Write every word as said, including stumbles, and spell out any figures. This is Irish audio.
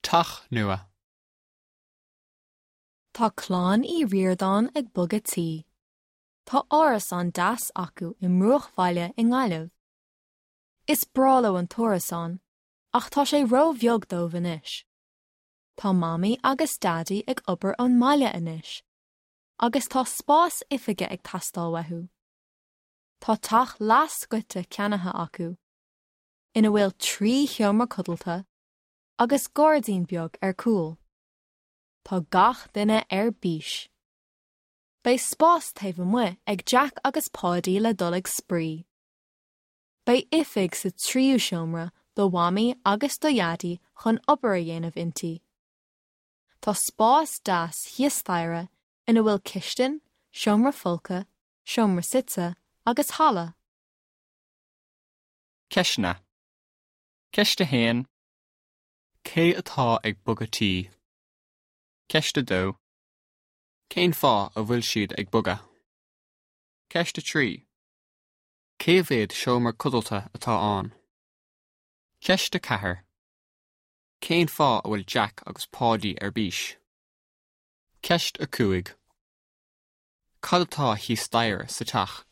Teach nua. Tá clann Uí Ríordáin ag bogadh tí. Tá árasán deas acu i mbruachbhaile i nGaillimh. Is breá leo an t-árasán, ach tá sé róbheag dóibh anois. Tá Mamaí agus Daidí ag obair ón mbaile anois, agus tá spás oifige ag teastáil uathu. Tá teach leathscoite ceannaithe acu, ina bhfuil trí sheomra codlata agus gairdín beag ar cúl. Tá gach duine ar bís. Beidh spás taobh amuigh ag Jack agus Páidí le dul ag spraoi. Beidh oifig sa tríú seomra do Mhamaí agus do Dhaidí chun obair a dhéanamh inti. Tá spás deas thíos staighre ina bhfuil cistin, seomra folctha, seomra suite agus halla. Ceisteanna. Ceist a haon. Cé atá ag bogadh tí? Ceist a dó. Cén fáth a bhfuil siad ag bogadh? Ceist a trí. Cé mhéad seomra codlata atá ann? Ceist a ceathair. Cén fáth a bhfuil Jack agus Páidí ar bís? Ceist a cúig. Cad atá thíos staighre sa teach?